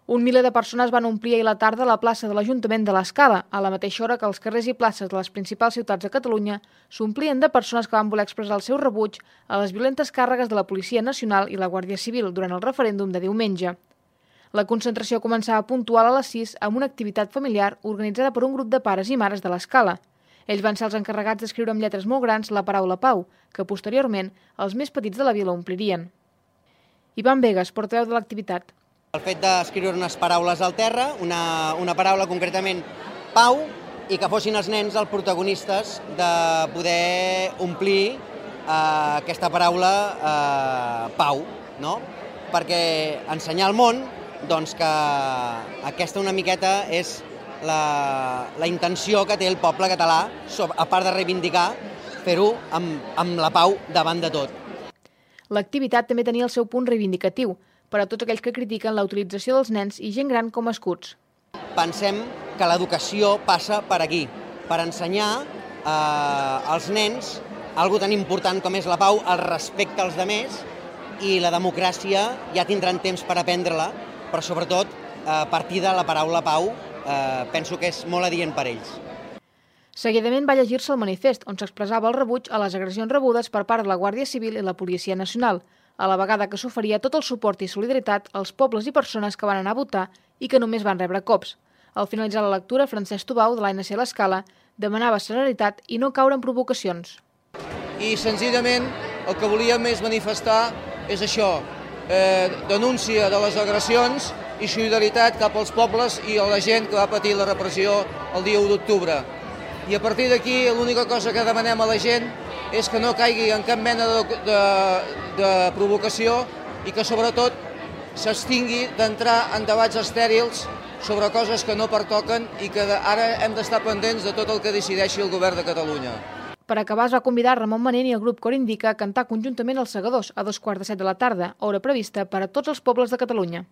Un miler de persones van omplir ahir a la tarda la plaça de l'Ajuntament de l'Escala, a la mateixa hora que els carrers i places de les principals ciutats de Catalunya s'omplien de persones que van voler expressar el seu rebuig a les violentes càrregues de la Policia Nacional i la Guàrdia Civil durant el referèndum de diumenge. La concentració començava puntual a les 6 amb una activitat familiar organitzada per un grup de pares i mares de l'Escala. Ells van ser els encarregats d'escriure amb lletres molt grans la paraula pau, que posteriorment els més petits de la vila omplirien. Ivan Vegas, portaveu de l'activitat. El fet d'escriure unes paraules al terra, una paraula concretament pau, i que fossin els nens els protagonistes de poder omplir aquesta paraula pau, no? Perquè ensenyar al món que aquesta una miqueta és la intenció que té el poble català, a part de reivindicar, fer-ho amb la pau davant de tot. L'activitat també tenia el seu punt reivindicatiu, per a tots aquells que critiquen la utilització dels nens i gent gran com a escuts. Pensem que l'educació passa per aquí, per ensenyar als nens alguna tan important com és la pau, el respecte als altres, i la democràcia ja tindran temps per aprendre-la, però sobretot a partir de la paraula pau penso que és molt adient per ells. Seguidament va llegir-se el manifest, on s'expressava el rebuig a les agressions rebudes per part de la Guàrdia Civil i la Policia Nacional, a la vegada que s'oferia tot el suport i solidaritat als pobles i persones que van anar a votar i que només van rebre cops. Al finalitzar la lectura, Francesc Tubau, de l'ANC l'Escala, demanava serenitat i no caure en provocacions. I senzillament el que volíem és manifestar és això, denúncia de les agressions i solidaritat cap als pobles i a la gent que va patir la repressió el dia 1 d'octubre. I a partir d'aquí l'única cosa que demanem a la gent és que no caigui en cap mena de provocació i que sobretot s'abstingui d'entrar en debats estèrils sobre coses que no pertoquen i que ara hem d'estar pendents de tot el que decideixi el govern de Catalunya. Per acabar es va convidar Ramon Manent i el grup Cor Indica a cantar conjuntament els Segadors a 2:45 de la tarda, hora prevista per a tots els pobles de Catalunya.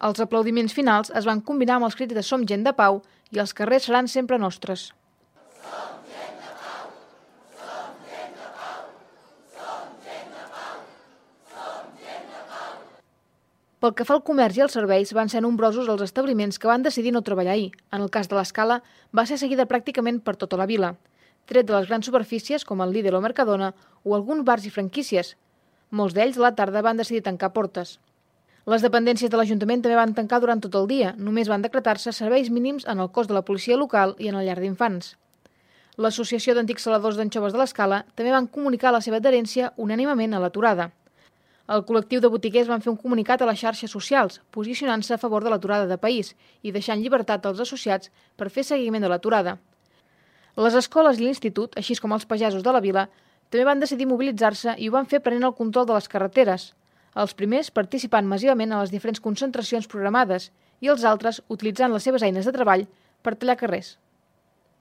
Els aplaudiments finals es van combinar amb els crits de Som gent de pau i els carrers seran sempre nostres. Som gent de pau, som gent de pau, som gent de pau, som gent de pau. Pel que fa al comerç i als serveis, van ser nombrosos els establiments que van decidir no treballar ahir. En el cas de l'Escala, va ser seguida pràcticament per tota la vila, tret de les grans superfícies com el Lidl o Mercadona o alguns bars i franquícies. Molts d'ells a la tarda van decidir tancar portes. Les dependències de l'Ajuntament també van tancar durant tot el dia. Només van decretar-se serveis mínims en el cos de la policia local i en el llar d'infants. L'Associació d'Antics Saladors d'Anxoves de l'Escala també van comunicar la seva adherència unànimement a l'aturada. El col·lectiu de botiguers van fer un comunicat a les xarxes socials, posicionant-se a favor de l'aturada de país i deixant llibertat als associats per fer seguiment de l'aturada. Les escoles i l'institut, així com els pagesos de la vila, també van decidir mobilitzar-se i ho van fer prenent el control de les carreteres. Els primers participant massivament a les diferents concentracions programades i els altres utilitzant les seves eines de treball per tallar carrers.